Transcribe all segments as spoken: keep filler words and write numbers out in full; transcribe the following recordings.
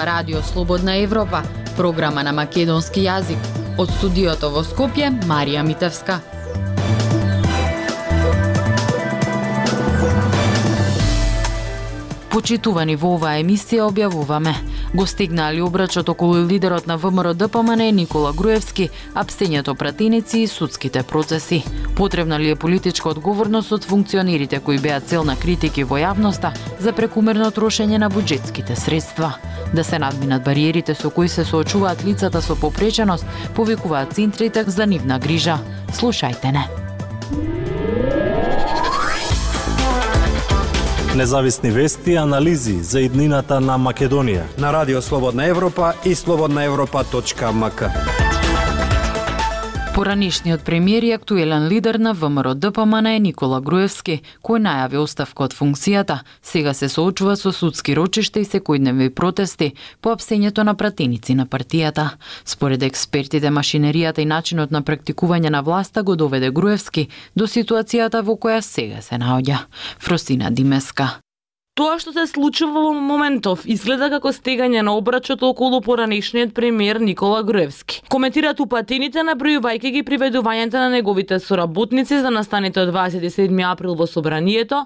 ова Радио Слободна Европа, програма на македонски јазик. Од студиото во Скопје, Марија Митевска. Почитувани во оваа емисија објавуваме: го стигнали обрачот околу лидерот на ВМРО-ДПМН Никола Груевски, апсењето пратеници и судските процеси. Потребна ли е политичка одговорност од функционерите кои беа цел на критики во јавноста за прекумерно трошење на буџетските средства? Да се надминат бариерите со кои се соочуваат лицата со попреченост, повикуваат центрите за нивна грижа. Слушајте не. Независни вести и анализи за иднината на Македонија на Радио Слободна Европа и слободна европа точка ем ка. Поранишниот премиер и актуелен лидер на ВМРО-ДПМН Никола Груевски, кој најави оставка од функцијата, сега се соочува со судски рочишта и секојдневни протести по апсењето на пратеници на партијата. Според експертите, машинеријата и начинот на практикување на власта го доведе Груевски до ситуацијата во која сега се наоѓа. Фросина Димеска. Тоа што се случува во моментов изгледа како стегање на обрачот околу поранешниот премиер Никола Груевски. Коментираат упатените, набројувајќи ги приведувањата на неговите соработници за настаните од дваесет и седми април во собранието.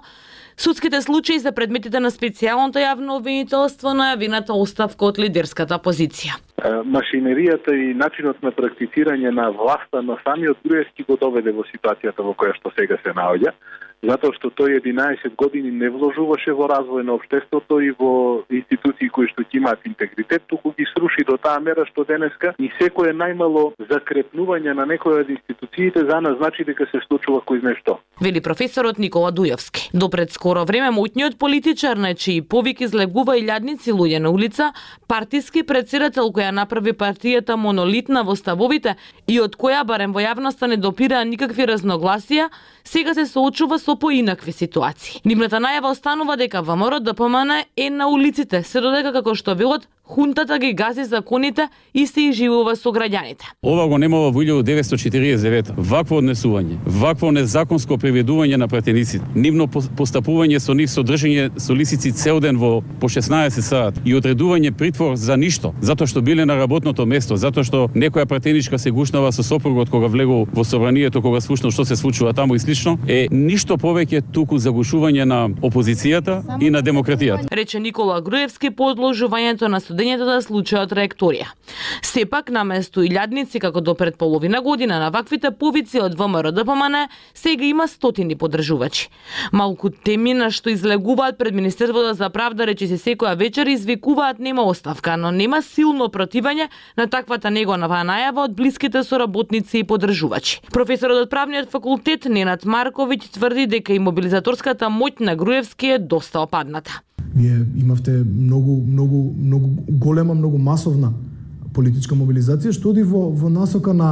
Судските случаи се предметите на специјалното јавно обвинителство на јавената оставка од лидерската позиција. Машинеријата и начинот на практицирање на власта на самиот Груевски го доведе во ситуацијата во која што сега се наоѓа, затоа што тој единаесет години не вложуваше во развој на општеството и во институции кои што ќе имаат интегритет, туку ги сруши до таа мера што денеска и секое најмало закрепнување на некоја од институциите за нас значи дека се случува кој знае што. Вели професорот Никола Дујовски. До пред скоро време моќниот политичар на чии повик излегува и илјадници луѓе на улица, партиски претседател која направи партијата монолитна во ставовите и од која барем во јавноста не допираа никакви разногласија, сега се соочува со поинакви ситуации. Нивната најава останува дека ВМРО-ДПМН е на улиците, се додека како што велат хунтата ги гази законите и се изживува со граѓаните. Ова го немало во илјадум деветстотини четиридесет и девета. Вакво однесување, вакво незаконско приведување на пратеници, нивно постапување со нив, содржање со лисици цел ден во по шеснаесет сат и одредување притвор за ништо, затоа што биле на работното место, затоа што некоја пратеничка се гушнава со сопругот кога влегол во собранието, кога слушнал што се случува таму и слично, е ништо повеќе туку загушување на опозицијата и на демократијата. Рече Никола Груевски по одложувањето на судењето да случи од траекторија. Сепак, наместо илјадници како до пред половина година на ваквите повици од ВМРО-ДПМН, сега има стотини поддржувачи. Малку теми на што излегуваат пред Министерството за правда, рече се секоја вечер извикуваат нема оставка, но нема силно противање на таквата негова најава од блиските соработници и поддржувачи. Професорот од правниот факултет Ненад Марковиќ тврди дека и мобилизаторската моќ на Груевски е доста опадната. Вие имавте многу, многу, многу голема, многу масовна политичка мобилизација, што оди во, во насока на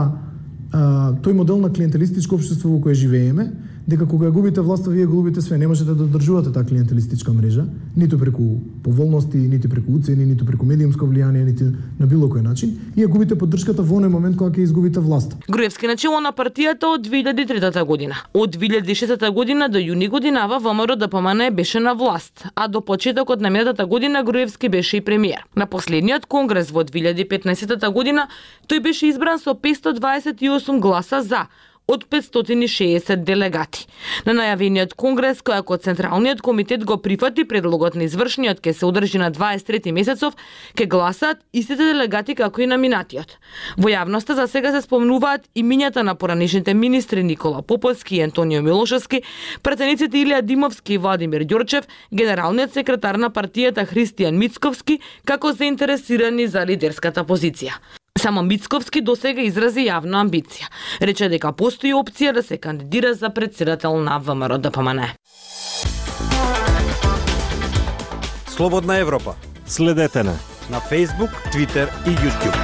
а, тој модел на клиентелистичко општество во кое живееме, дека кога губите власта, вие губите све, не можете да одржувате таа клиентелистичка мрежа, ниту преку поволности, ниту преку уцени, ниту преку медиумско влијание, ниту на било кој начин, и ја губите поддршката во оној момент кога ќе изгубите власта. Груевски начело на партијата од две илјади и трета година. Од две илјади и шестата година до јуни годинава ВМРО-ДПМН беше на власт, а до почетокот на минатата година Груевски беше и премиер. На последниот конгрес во две илјади и петнаесета година тој беше избран со петстотини дваесет и осум гласа за од петстотини и шеесет делегати. На најавениот конгрес, кој ако Централниот комитет го прифати предлогот на извршниот ке се одржи на дваесет и трети месецов, ке гласаат истите делегати како и на минатиот. Во јавноста за сега се спомнуваат имињата на поранешните министри Никола Поповски и Антонио Милошевски, пратениците Илија Димовски и Владимир Ѓорчев, генералниот секретар на партијата Христијан Мицковски, како заинтересирани за лидерската позиција. Само Мицковски досега изрази јавна амбиција. Рече дека постои опција да се кандидира за претседател на ВМРО-ДПМН. Слободна Европа. Следете на на Facebook, Twitter и YouTube.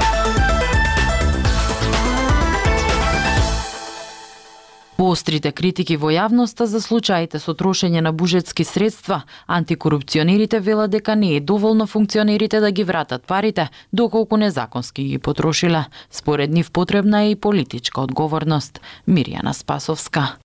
Поострите критики во јавноста за случаите со трошење на буџетски средства, антикорупционерите велат дека не е доволно функционерите да ги вратат парите, доколку незаконски ги потрошиле. Според нив потребна е и политичка одговорност. Мирјана Спасовска.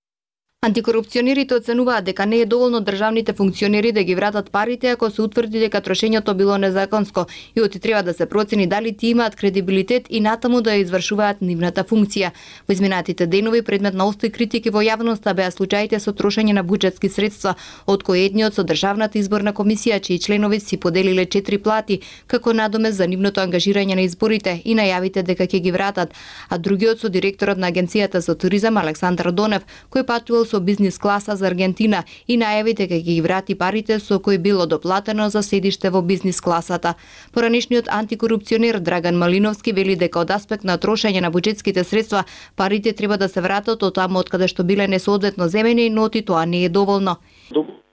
Антикорупционерите оценуваат дека не е доволно државните функционери да ги вратат парите ако се утврди дека трошењето било незаконско и оти треба да се процени дали тие имаат кредибилитет и натаму да ја извршуваат нивната функција. Во изминатите денови предмет на остри критики во јавноста беа случаите со трошење на буџетски средства, од кои едниот со Државната изборна комисија, чии членови си поделиле четири плати како надомест за нивното ангажирање на изборите и најавите дека ќе ги вратат, а другиот со директорот на Агенцијата за туризам Александар Донев, кој патувал со бизнис класа за Аргентина и најави дека ќе ги врати парите со кои било доплатено за седиште во бизнис класата. Поранишниот антикорупционер Драган Малиновски вели дека од аспект на трошење на буџетските средства парите треба да се вратат од таму од каде што биле несоодветно земени, но оти тоа не е доволно.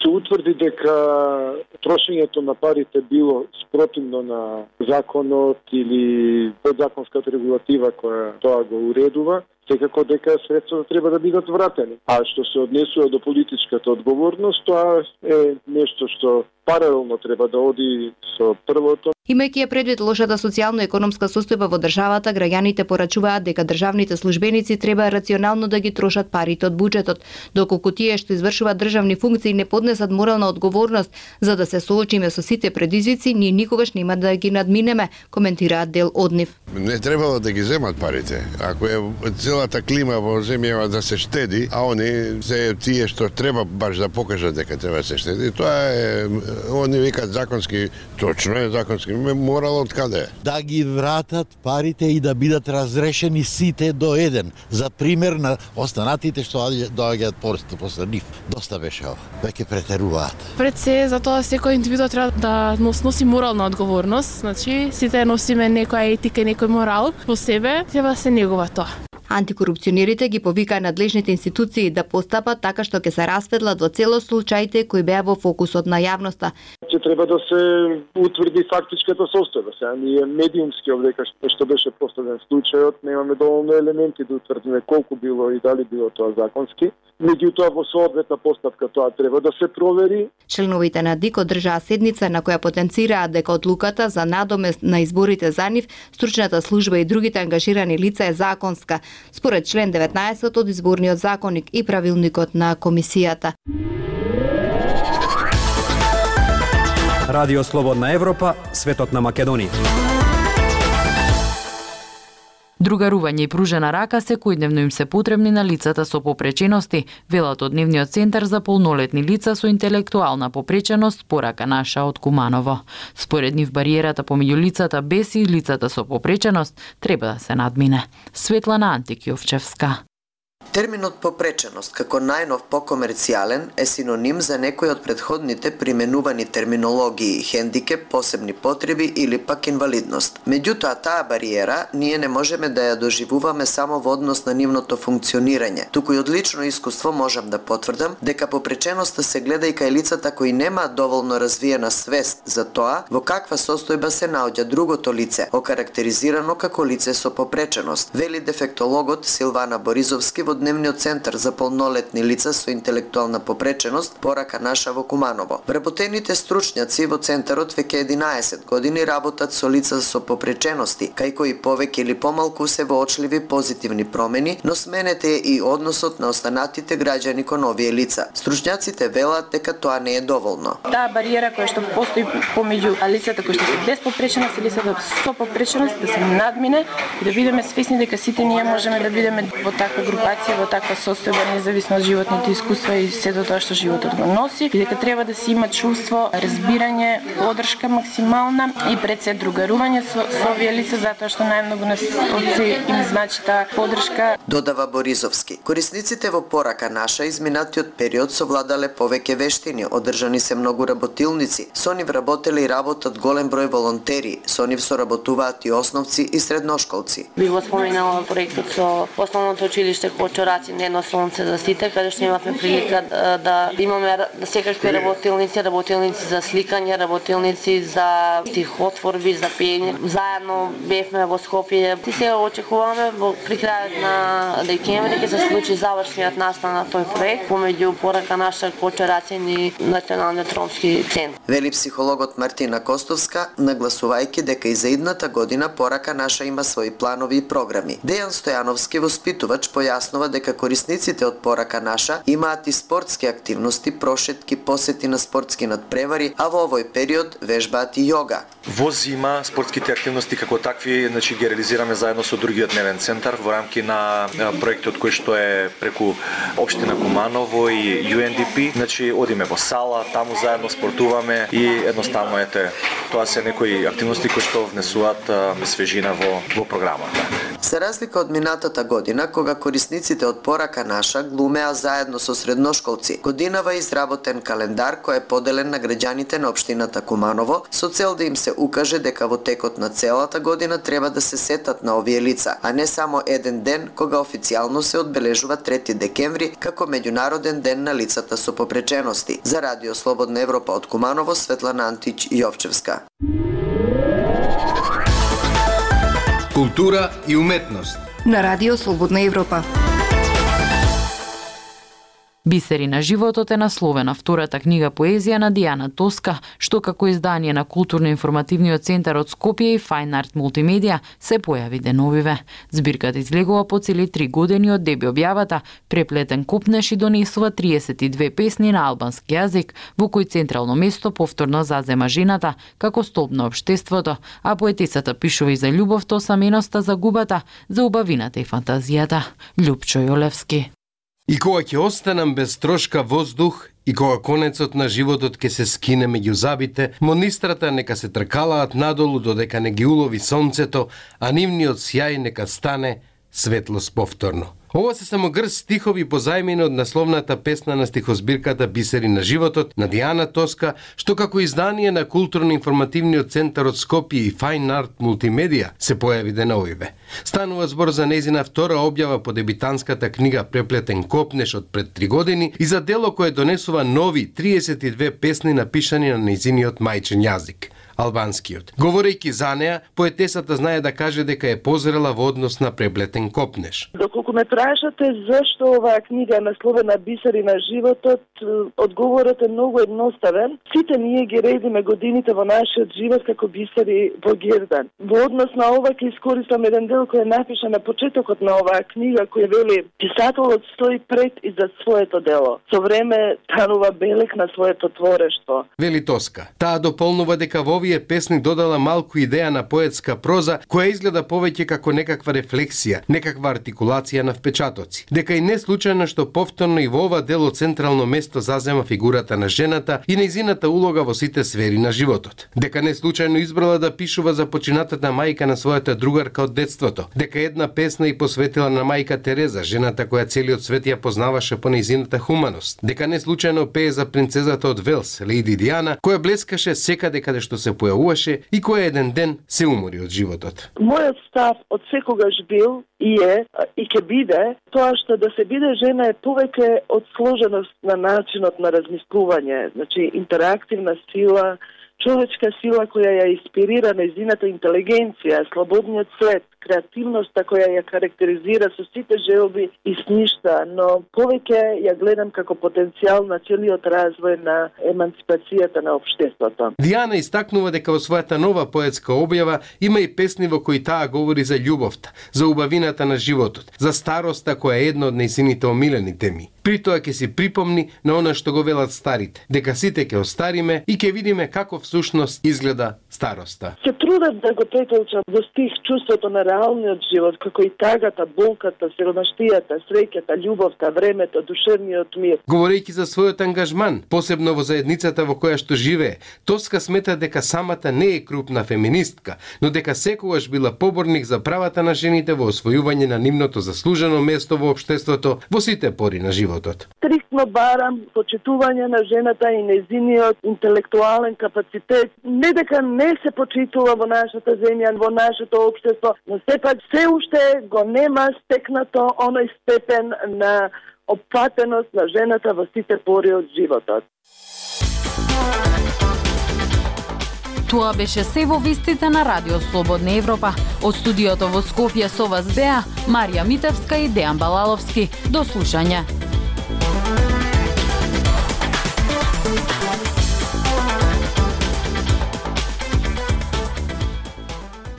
Се утврди дека трошењето на парите било спротивно на законот или подзаконската регулатива која тоа го уредува, секако дека средствата треба да бидат вратени. А што се однесува до политичката одговорност, тоа е нешто што паралелно треба да оди со првото. Имајќи ја предвид лошата социјално-економска состојба во државата, граѓаните порачуваат дека државните службеници треба рационално да ги трошат парите од буџетот, доколку тие што извршуваат државни функции не поднесат морална одговорност за да се соочиме со сите предизвици, ние никогаш нема да ги надминеме, коментираат дел од нив. Не требало да ги земат парите. Ако е целата клима во земјава да се штеди, а они се тие што треба баш да покажат дека треба да се штеди, тоа е, они викаат законски, точно е законски, морал од каде? Да ги вратат парите и да бидат разрешени сите до еден. За пример на останатите што доаѓаат после после нив. Доста беше ова. Веќе претеруваат. Пред се, затоа секој индивидуум треба да носи морална одговорност, значи сите носиме некоја етика и некој морал во себе, треба да се негува тоа. Антикорупционерите ги повикаа надлежните институции да постапат така што ќе се расветлат во целост случаите кои беа во фокусот на јавноста. Ќе треба да се утврди фактичката состојба. Сега ние медиумски овдека што беше поставен случајот, немаме доволно елементи да утврдиме колку било и дали било тоа законски. Меѓутоа во соодветна постапка тоа треба да се провери. Членовите на ДИК одржаа седница на која потенцираат дека одлуката за надомест на изборите за нив, стручната служба и другите ангажирани лица е законска, според член деветнаесет од изборниот законник и правилникот на комисијата. Радио Слободна Европа, светот на Македонија. Другарување и пружена рака секојдневно им се потребни на лицата со попречености, велат од Дневниот центар за полнолетни лица со интелектуална попреченост Порака наша од Куманово. Според нив бариерата помеѓу лицата без и лицата со попреченост треба да се надмине. Светлана Антикјовчевска. Терминот попреченост како најнов покомерцијален е синоним за некој од предходните применувани терминологии хендикеп, посебни потреби или пак инвалидност. Меѓутоа таа бариера ние не можеме да ја доживуваме само во однос на нивното функционирање, туку и од лично искуство можам да потврдам дека попреченоста се гледа и кај лицата кои немаат доволно развиена свест за тоа во каква состојба се наоѓа другото лице, окарактеризирано како лице со попреченост, вели дефектологот Силвана Боризовски во Дневниот центар за полнолетни лица со интелектуална попреченост Порака наша во Куманово. Вработените стручњаци во центарот веќе единаесет години работат со лица со попречености, кај кои повеќе или помалку се воочливи позитивни промени, но сменете е и односот на останатите граѓани кон овие лица. Стручњаците велат дека тоа не е доволно. Таа бариера која што постои помеѓу лицата кои што се без попреченост и лицата со попреченост да се надмине и да бидеме свесни дека сите ние можеме да бидеме во таква групација, во таква состојба, независно од животните искуства и сето тоа што животот го носи, и дека треба да се има чувство, разбирање, поддршка максимална и пред се другарување со, со овие лица, затоа што најмногу нас се им значи таа поддршка. Додава Боризовски. Корисниците во Порака наша изминатиот период совладале повеќе вештини, одржани се многу работилници, со нив работеле и работат голем број волонтери, со нив соработуваат и основци и средношколци. Би го споменала проектот со основното училиште Кочораци, не едно сонце за сите, каде што имавме прилика да, да имаме да секакви работилници, работилници за сликање, работилници за стихотворби, за пеење. Заедно бевме во Скопје. И се очекуваме во при крајот на декември ќе се случи завршниот настан на тој проект помеѓу Порака наша, Кочораци и Националниот ромски центар. Вели психологот Мартина Костовска, нагласувајќи дека и за идната година Порака наша има своји планови и програми. Дејан Стојановски, воспитувач, појаснува дека корисниците од порака наша имаат и спортски активности, прошетки, посети на спортски надпревари, а во овој период вежбаат и јога. Во зима спортските активности како такви, значи ги реализираме заедно со другиот дневен центар во рамки на проектот кој што е преку општина Куманово и Ю Ен Ди Пи. Значи одиме во сала, таму заедно спортуваме и едноставно ете тоа се некои активности кои што внесуваат свежина во во програмата. За разлика од минатата година, кога корисниците од порака наша глумеа заедно со средношколци, годинава изработен календар кој е поделен на граѓаните на општината Куманово со цел да им се укаже дека во текот на целата година треба да се сетат на овие лица, а не само еден ден кога официјално се одбележува трети декември како меѓународен ден на лицата со попречености. За Радио Слободна Европа од Куманово, Светлана Антич Јовчевска. Култура и уметност на Радио Слободна Европа. Бисери на животот е насловена втората книга поезија на Дијана Тоска, што како издание на Културно-информативниот центар од Скопје и Fine Art Multimedia се појави деновиве. Збирката излегува по цели три години од деби објавата, преплетен копнеш и донесува триесет и две песни на албански јазик, во кој централно место повторно зазема жената како столб на општеството, а поетисата пишува и за љубовта, осаменоста, загубата, за убавината и фантазијата. Љупчо Јолевски. И кога ќе останам без трошка воздух, и кога конецот на животот ќе се скине меѓу забите, монистрата нека се тркалаат надолу додека не ги улови сонцето, а нивниот сјај нека стане светлост повторно. Ова се само грст стихови позајмени од насловната песна на стихозбирката Бисери на животот на Дијана Тоска, што како издание на Културно-информативниот центар од Скопје и Fine Art Multimedia се појави деновиве. Станува збор за нејзина втора објава по дебитанската книга Преплетен копнеш од пред три години и за дело кое донесува нови триесет и две песни напишани на нејзиниот мајчин јазик, албанскиот. Говорејќи за неа, поетесата знае да каже дека е позрела во однос на Преплетен копнеш. Доколку ме прашате зашто оваа книга е насловена Бисери на животот, одговорот е многу едноставен. Сите ние ги редиме годините во нашиот живот како бисери во гердан. Во однос на ова ќе искористам еден дел кој е напишан на почетокот на оваа книга, кој вели: писателот стои пред и за своето дело. Со време станува белек на своето творештво. Вели Тоска. Таа дополнува дека во овие песни додала малку идеја на поетска проза, која изгледа повеќе како некаква рефлексија, некаква артикулација на впечатоци. Дека и не случајно што повторно и во ова дело централно место зазема фигурата на жената и нејзината улога во сите сфери на животот. Дека не случајно избрала да пишува за починатата мајка на својата другарка од детството. Дека една песна и посветила на мајка Тереза, жената која целиот свет ја познаваше по нејзината хуманост. Дека не случајно пее за принцезата од Велс, Лејди Диана, која блескаше секаде каде што се појавуваше и која еден ден се умори од животот. Мојот став од секогаш бил и е и ќе биде тоа што да се биде жена е повеќе од сложеност на начинот на размислување, значи интерактивна сила, човечка сила која ја инспирира нејзината интелигенција, слободниот свет, креативноста која ја карактеризира со сите желби и сништа, но повеќе ја гледам како потенцијал на целиот развој на емансипацијата на општеството. Дијана истакнува дека во својата нова поетска објава има и песни во кои таа говори за љубовта, за убавината на животот, за староста која е една од нејзините омилени теми. При тоа ќе си припомни на она што го велат старите, дека сите ќе остариме и ќе видиме како всушност изгледа староста. Се трудат да го претолчам во стих чувството на реалниот живот, како и тагата, болката, сиромаштијата, среќата, љубовта, времето, душевниот мир. Говорејќи за својот ангажман, посебно во заедницата во која што живее, Тоска смета дека самата не е крупна феминистка, но дека секогаш била поборник за правата на жените во освојување на нивното заслужено место во општеството во сите пори на животот. Стриктно барам почитување на жената и нејзиниот интелектуален капацитет. Не дека не се почитува во нашата земја, во нашето општество, но сепак се уште го нема стекнато оној степен на опфатеност на жената во сите пори од животот. Тоа беше се во вестите на Радио Слободна Европа. Од студиото во Скопје со вас беа Марија Митевска и Дејан Балаловски. До слушање.